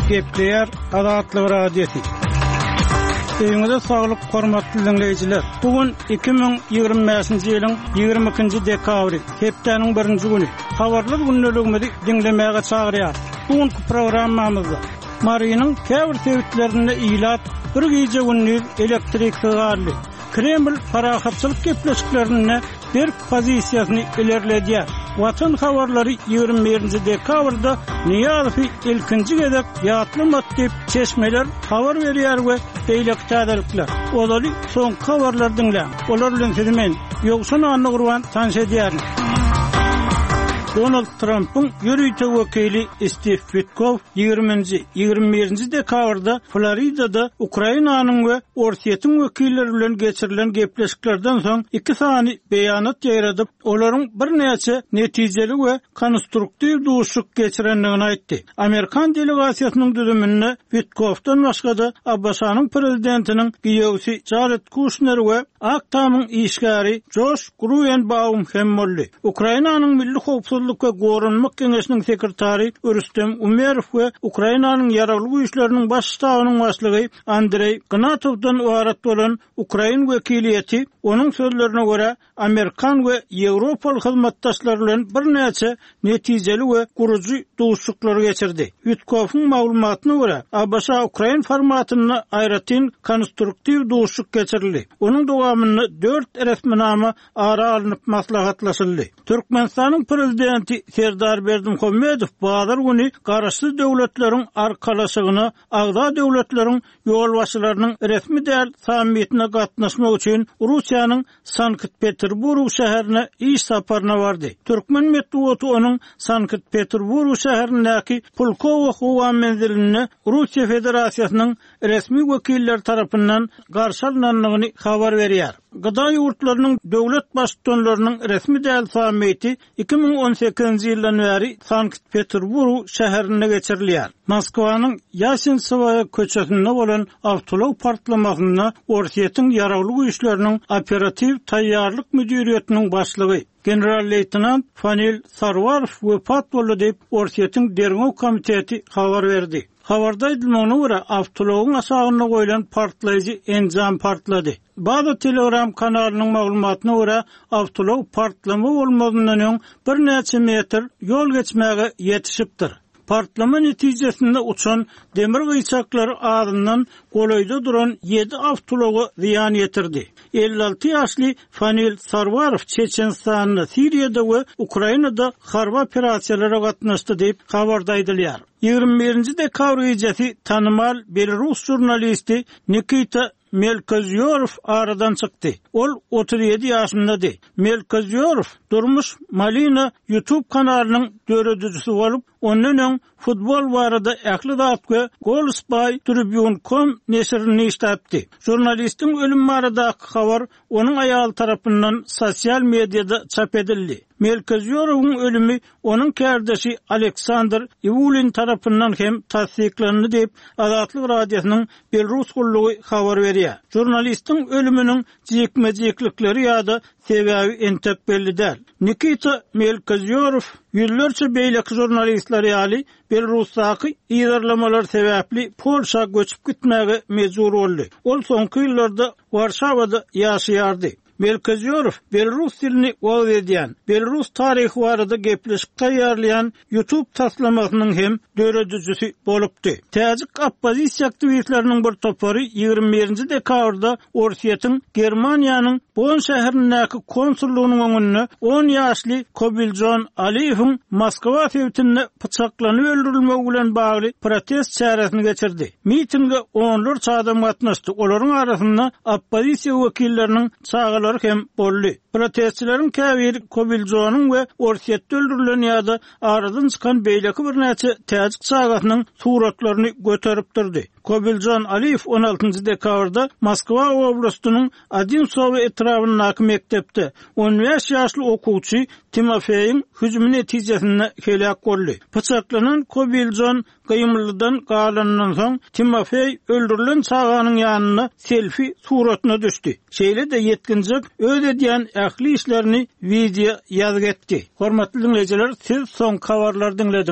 Gepleýär Azatlyk Radiosy. Öýüňize saglyk, hormatly diňleýjiler! Bu gün 2025-nji ýylyň 22-nji dekabry, hepdäniň birinji güni. Habarlar gündeligimizi diňlemäge çagyrýarys. Bu günki programmamyzda Marynyň käbir sebitlerinde ilat bir gije-gündiz elektriksiz galdy. Kreml parahatçylyk gepleşiklerinde berk pozisiýasyny ilerledýär. Watan habarlary 21-nji dekabrda Nyýazowy ilkinji gezek ýatlamady diýip, çeşmeler habar berýär we beýleki täzelikler. Ozaly soňky habarlary diňläň. Olar bilen sizi men, Ýowşan Annagurban tanyş edýärin. Donald Trampyň ýörite wekili Stiw Witkow ýigriminji, 21-nji dekabrda Floridada Ukrainanyň we Orsýetiň wekilleri bilen geçirilen gepleşiklerden soň iki sany beýanat ýaýradyp, olaryň birnäçe netijeli we konstruktiw duşuşyk geçirendigini aýtdy. Amerikan delegasiýasynyň düzüminde Witkofdan başga-da ABŞ-nyň prezidentiniň giýewsi Jared Kuşner we Ak Tamyň işgäri Joş Gruenbaum hem boldy. Ukrainanyň Milli howpsuzlyk we goranmak geňeşiniň sekretary Rüstem Umerow we Ukrainanyň Ýaragly Güýçleriniň Baş ştabynyň başlygy Andreý Gnatowdan ybarat bolan ukrain wekiliýeti, onuň sözlerine görä, amerikan we ýewropaly hyzmatdaşlar bilen birnäçe netijeli we gurujy duşuşyklary geçirdi. Witkoffyň maglumatyna görä, ABŞ-ukrain formatynda aýratyn konstruktiw duşuşyk geçirildi. Onuň dowamynda dört resminama ara alnyp maslahatlaşyldy. Türkmenistanyň Prezidenti Serdar Berdimuhamedow bazar güni Garaşsyz Döwletleriň Arkalaşygyna agza döwletleriň ýolbaşçylarynyň resmi däl sammitine gatnaşmak üçin Russiýanyň Sankt-Peterburg şäherine iş saparyna bardy. Türkmen metbugaty onuň Sankt-Peterburg şäherindäki Pulkowo howa menzilinde Russiýa Federasiýasynyň resmi wekilleri tarapyndan garşy alnandygyny habar berýär. GDA ýurtlarynyň döwlet Baştutanlarynyň resmi däl sammiti 2018-nji ýyldan bäri Sankt-Peterburg şäherinde geçirilýär. Moskwanyň Ýasensowaýa köçesinde bolan awtoulag partlamasynda Orsýetiň Ýaragly Güýçleriniň Operatiw taýýarlyk müdiriýetiniň başlygy, general-leýtenant Fanil Sarwarow wepat boldy diýip, Orsýetiň Derňew komiteti habar berdi. Habarda aýdylmagyna görä, awtoulagyň aşagynda goýlan partlaýjy enjam partlady. Baza Telegram kanalynyň maglumatyna görä, awtoulag partlama bolmazyndan öň birnäçe metr ýol geçmäge ýetişipdir. Partlama netijesinde uçan demir gyýçaklary azyndan golaýda duran ýedi awtoulaga zyýan ýetirdi. 56 ýaşly Fanil Sarwarow Çeçenistanda, Siriýada we Ukrainada harby operasiýalara gatnaşdy diýip, habarda aýdylýar. 21-nji dekabr gijesi tanymal belarus žurnalisti Nikita Melkozýorow aradan çykdy. Ol 37 ýaşyndady. Melkozýorow Durmuş Malina YouTube kanalynyň döredijisi bolup, ondan öň futbol barada ähli zat we Goals by Tribune com neşirinde işläpdi. Žurnalistiň ölümi baradaky habar onuň aýaly tarapyndan sosial mediada çap edildi. Melkozýorowyň ölümi onuň kärdeşi Aleksandr Iwulin tarapyndan hem tassyklandy diýip, Azatlyk Radiosynyň Belarus gullugy habar berýär. Žurnalistiň ölüminiň jikme-jiklikleri ýa-da sebäbi entek belli däl. Nikita Melkozýorow ýüzlerçe beýleki žurnalistler ýaly Belarusdaky yzarlamalar sebäpli Polşa göçüp gitmäge mejbur boldy. Ol soňky ýyllarda Warşawada ýaşaýardy. Melkozýorow belarus dilini wagyz edýän, belarus taryhy barada gepleşik taýýarlaýan YouTube taslamasynyň hem döredijisi bolupdy. Täjik oppozisiýa aktiwistleriniň bir topary 21-nji dekabrda Orsýetiň Germaniýanyň Bonn şäherindäki konsullygynyň öňünde on ýaşly Kobiljon Aliýewiň Moskwa sebitinde pyçaklanyp öldürilmegi bilen bagly protest çäresini geçirdi. Mitinge onlarça adam gatnaşdy, olaryň arasynda oppozisiýa wekilleriniň çagalary hem boldy. Protestçileriň käbiri Kobiljonyň we Orsýetde öldürilen ýa-da aradan çykan beýleki birnäçe täjik çagasynyň suratlaryny göterip durdy. Kobiljon Aliýew on altynjy dekabrda Moskwa oblastynyň Odinsowo etrabyndaky mekdepde on bäş ýaşly okuwçy Timofeýiň hüjümi netijesinde heläk boldy. Pyçaklanan Kobiljon gymyldydan galanyndan soň, Timofeý öldürilen çaganyň ýanynda selfi suratyna düşdi. Şeýle-de ýetginjek öz edýän ähli işlerini wideo ýazgy etdi. Hormatly diňleýjiler, siz soňky habarlary diňlediňiz.